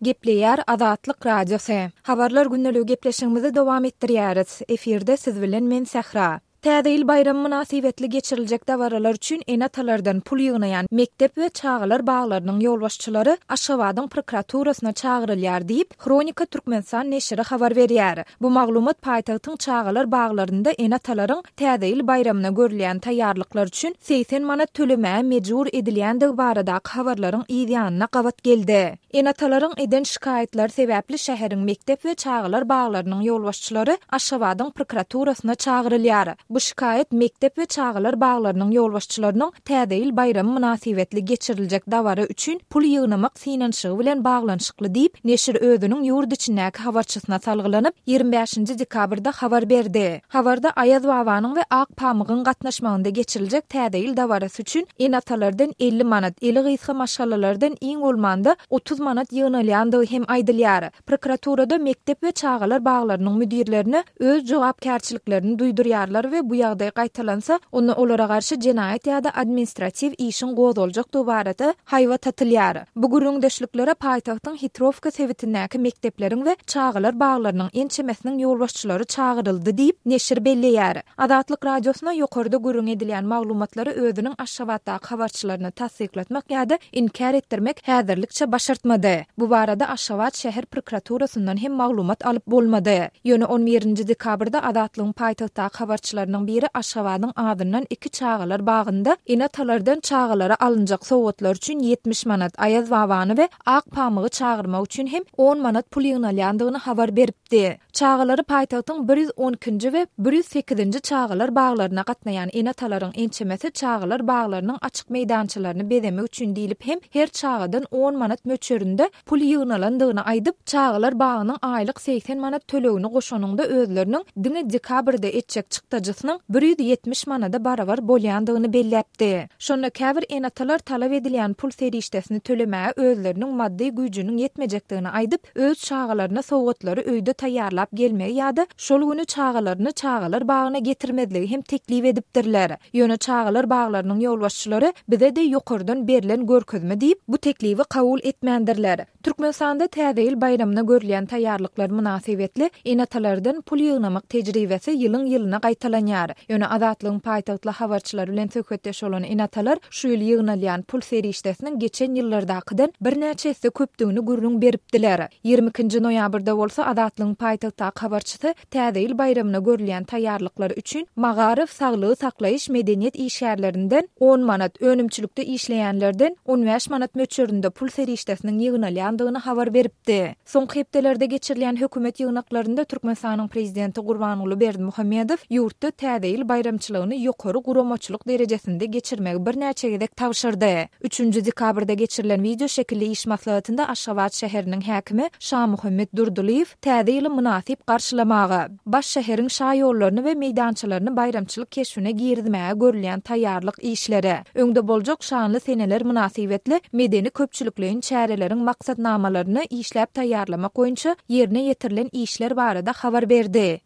Gepleýär Azatlyk Radiosy. Habarlar gündeligi gepleşigimizi dowam etdirýäris. Efirde siz bilen men Sähra. Täze ýyl baýramy mynasybetli geçiriljek dabaralar üçin ene-atalardan pul ýygnaýan mekdep we çagalar baglarynyň ýolbaşçylary Aşgabadyň prokuraturasyna çagyrylýar diýip, Hronika Türkmenistan neşiri habar berýär. Bu maglumat paýtagtyň çagalar baglarynda ene-atalaryň Täze ýyl baýramyna görülýän taýýarlyklar üçin 80 manat tölemäge mejbur edilýändigi baradaky habarlaryň yz ýanyna gabat geldi. Ene-atalaryň eden şikaýatlary sebäpli şäheriň mekdep we çagalar baglarynyň ýolbaşçylary Aşgabadyň prokuraturasyna çagyrylýar. Bu şikaýat mekdep we çagalar baglarynyň ýolbaşçylarynyň Täze ýyl baýramy mynasybetli geçiriljek dabara üçin pul ýygnamak synanyşygy bilen baglanyşykly diýip, neşir özüniň ýurt içindäki habarçysyna salgylanyp, 25-nji dekabrda habar berdi. Habarda Aýaz babanyň we Ak pamygyň gatnaşmagynda geçiriljek Täze ýyl dabarasy üçin ene-atalardan 50 manat, eli gysga maşgalalardan iň bolmanda 30 manat ýygnalýandygy hem aýdylýar. Prokuraturada mekdep we çagalar baglarynyň müdirlerine öz jogapkärçiliklerini duýdurýarlar we bu ýagdaý gaýtalansa, onda olara garşy jenaýat ýa-da administratiw işiň gozgaljakdygy barada haýbat atylýar. Bu gürrüňdeşliklere paýtagtyň Hitrowka sebitindäki mekdepleriň we çagalar baglarynyň ençemesiniň ýolbaşçylary çagyryldy diýip, neşir belleýär. Azatlyk Radiosyna ýokarda gürrüň edilýän maglumatlary özüniň Aşgabatdaky habarçylaryna tassyklatmak ýa-da inkär etdirmek häzirlikçe başartmady. Bu barada Aşgabat şäher prokuraturasyndan hem maglumat alyp bolmady. Ýöne on birinji dekabrda Azatlygyň paýtagtdaky habarçylarynyň biri Aşgabadyň azyndan iki çagalar bagynda ene-atalardan çagalara alynjak sowgatlar üçin 70 manat, Aýaz babany we Ak pamygy çagyrmak üçin hem on manat pul ýygnalýandygyny habar beripdi. Çagalary paýtagtyň 112-nji we 108-nji çagalar baglaryna gatnaýan ene-atalaryň ençemesi çagalar baglarynyň açyk meýdançalaryny bezemek üçin diýlip hem her çagadan on manat möçberinde pul ýygnalandygyny aýdyp, çagalar bagynyň aýlyk 80 manat tölegini goşanyňda özleriniň diňe dekabrda etjek çykdajysynyň 170 manada barabar bolýandygyny belläpdi. Şonda käbir ene-atalar talap edilýän pul serişdesini tölemäge özleriniň maddy güýjüniň ýetmejekdigini aýdyp, öz çagalaryna sowgatlary öýde taýýarlap gelmegi ýa-da şol güni çagalaryny çagalar bagyna getirmezligi hem teklip edipdirler. Ýöne çagalar baglarynyň ýolbaşçylary bize-de ýokardan berlen görkezme diýip, bu teklibi kabul etmändirler. Türkmenistanda Täze ýyl baýramyna görülýän taýýarlyklar mynasybetli ene-atalardan pul ýygnamak tejribesi ýylyň-ýylyna gaýtalanýar. Ýöne Azatlygyň paýtagtly habarçylary bilen söhbetdeş bolan ene-atalar şu ýyl ýygnalýan pul serişdesiniň geçen ýyllardakydan birnäçe esse köpdügini gürrüň beripdiler. 22-nji noýabrda bolsa Azatlygyň paýtagtdaky habarçysy Täze ýyl baýramyna görülýän taýýarlyklar üçin magaryf, saglygy saklaýyş, medeniýet işgärlerinden on manat, önümçilikde işleýänlerden on bäş manat möçberinde pul serişdesiniň ýygnalýandygyny habar beripdi. Soňky hepdelerde geçirilýän hökümet ýygnaklarynda Türkmenistanyň Prezidenti Gurbanguly Berdimuhamedow ýurtda Täze ýyl baýramçylygyny ýokary guramaçylyk derejesinde geçirmegi birnäçe gezek tabşyrdy. Üçünji dekabrda geçirilen wideoşekilli iş maslahatynda Aşgabat şäheriniň häkimi Şamuhammet Durdylyýew Täze ýyly mynasyp garşylamaga, baş şäheriň şaýollaryny we meýdançalaryny baýramçylyk keşbine girizmäge görülýän taýýarlyk işleri, öňde boljak şanly seneler mynasybetli medeni-köpçülikleýin çäreleriň maksatnamalaryny işläp taýýarlamak boýunça ýerine ýetirilen işler barada habar berdi.